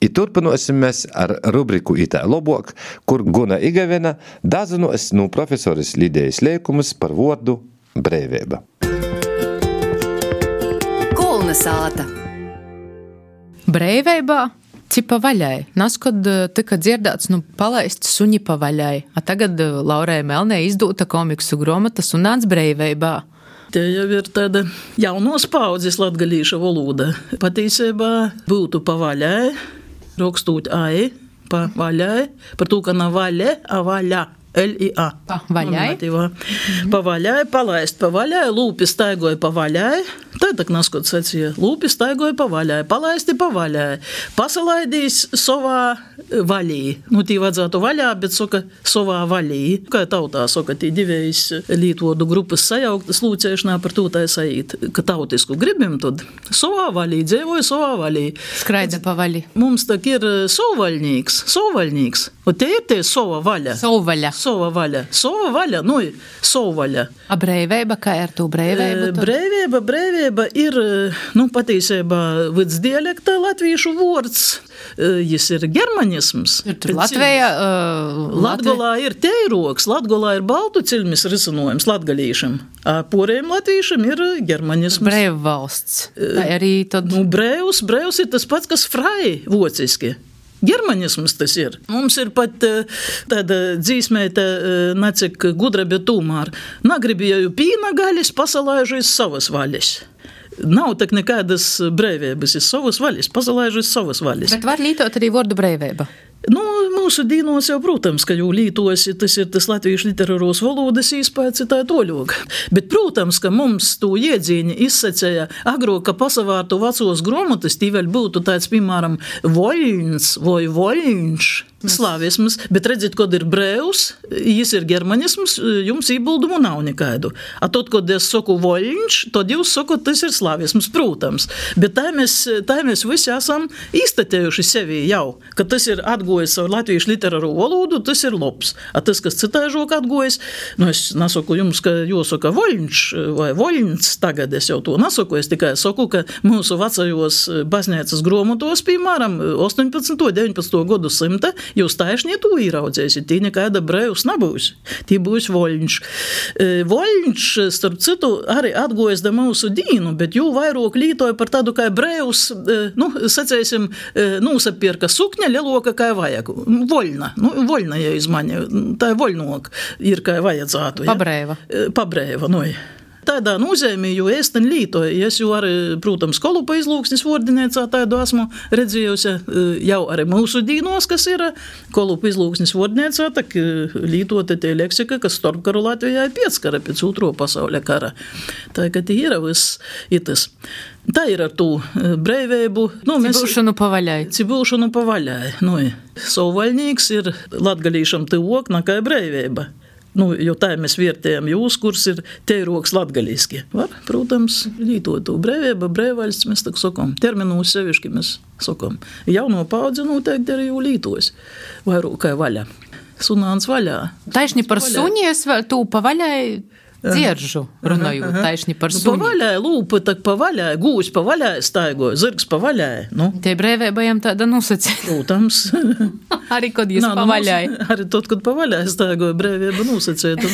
I turpinosim mēs ar rubriku Itā lobuok, kur Guna Igavena dazinos no profesoris Lidijas Leikumus par vordu breiveiba. Kulna sāta. Breiveibā cipa vaļai. Naskod tika dzirdēts, palaist suņi pa vaļai. A tagad Laurai Melnē izdūta komiksu gromata Sunāns breiveibā. Te jau ir tāda jaunos paudzes latgalīša valoda. Patīsībā būtu pa vaļai, rakstūt ai, pa vaļai, par to, ka nav vaļe, a vaļa. L-I-A. Pa vaļai. Pa vaļai, palaist pa vaļai, lūpi staigoja pa vaļai. Tā tak naskot sacīja, lūpi staigoja pa vaļai, palaisti pa vaļai. Pasalaidīs savā vaļī. Tī vajadzētu vaļā, bet saka savā vaļī. Kā tautā saka, tī divējas lītodu grupas sajauktas lūcēšanā par to tā saīt, ka tautisku gribim, tad savā vaļī, dzēvoja savā vaļī. Skraida pa vaļi. Mums tak ir savvaļnīgs. Un te ir tie sava vaļa. Savvaļa. Sova vaļa, savvaļa. A breiveiba, kā ir tu breiveiba? Breiveiba ir, patīsībā vids dialekta latviešu vords. Jis ir germanisms. Latvijā... Latgolā ir teiroks, Latgolā ir baltu cilmis risinojums latgalīšam. Porējiem latviešam ir germanisms. Breivu valsts. Tā arī tad... Breivs ir tas pats, kas frai vociski. Germanisms tas ir. Mums ir pat tāda dzīsmēta, nacik gudra, bet tūmār. Nagribēju pīna gaļas, pasalaižu iz savas vaļas. Nav tak nekādas breivības iz savas vaļas, pasalaižu iz savas vaļas. Bet var lītot arī vordu breiveiba? Mūsu dīnos jau, protams, ka jau lītosi, tas ir tas latviešu literatūras valodas īspējas ir tā toļoga. Bet, protams, ka mums to iedzīņi izsacēja agro, ka pasavārtu vecos gromatas, tī vēl būtu tāds, piemēram, voļņs vai voļņš. Slāvisms, bet redzit, kod ir breivs, jis ir germanisms, jums ībuldumu nav nekaidu. A tot, kod es saku voļņš, tad jūs sakot, tas ir slāvisms, protams. Bet tā mēs visi esam iztatējuši sevi jau, ka tas ir atgojis savu latviešu literāru valodu, tas ir labs. A tas, kas citāžok atgojis, es nesaku jums, ka jāsaka voļņš vai voļņs, tagad es jau to nesaku, es tikai saku, ka mūsu vecajos baznīcas gromatos, piemēram, 18. 19. gadu simta, jūs taišņi to īraudzēsiet, tī nekāda breivs nebūs, tī būs voļņš. Voļņš, starp citu, arī atgojas da mūsu dīnu, bet jū vairāk lītoja par tādu kā breivs, sacēsim, nūsapierka sukņa leloka kā vajag. Voļna, ja izmaņa, tā ir voļnok, ir kā vajadzētu. Ja? Pabreiva, Tādā nozīmē, jo ēsten lītoja. Es jau arī, protams, Kolupa izlūksnis vordinēcā tādu esmu redzējusi jau arī mūsu dīnos, kas ir Kolupa izlūksnis vordinēcā, tak lītota tie leksika, kas starpkaru Latvijā ir pieckara pēc Otro pasauļa kara. Tā, ka tie ir viss itas. Tā ir ar to breiveibu. Cibūšanu pavaļai. Savvaļnīgs ir latgalīšam tivok, nekā breiveiba. Jo tā mēs vērtējam jūs, kurs ir teiroks latgalīski. Var, protams, lītot to breiveiba, breivaļsts, mēs tak sakam. Terminūs sevišķi mēs sakam. Jauno paudzi noteikti arī jau lītos. Vairāk kā vaļa. Sunāns vaļā. Taišņi par suņies vēl tū pavaļai dzieržu runājot, taišņi par suņi. Pavaļai, lūpa, tak pavaļai, gūs pavaļai staigoja, zirgs pavaļai. Tie breivējiem tāda nosacīja. Protams. Arī, kad jūs pavaļai. Arī tot, kad pavaļai staigoja, breivība nosacīta.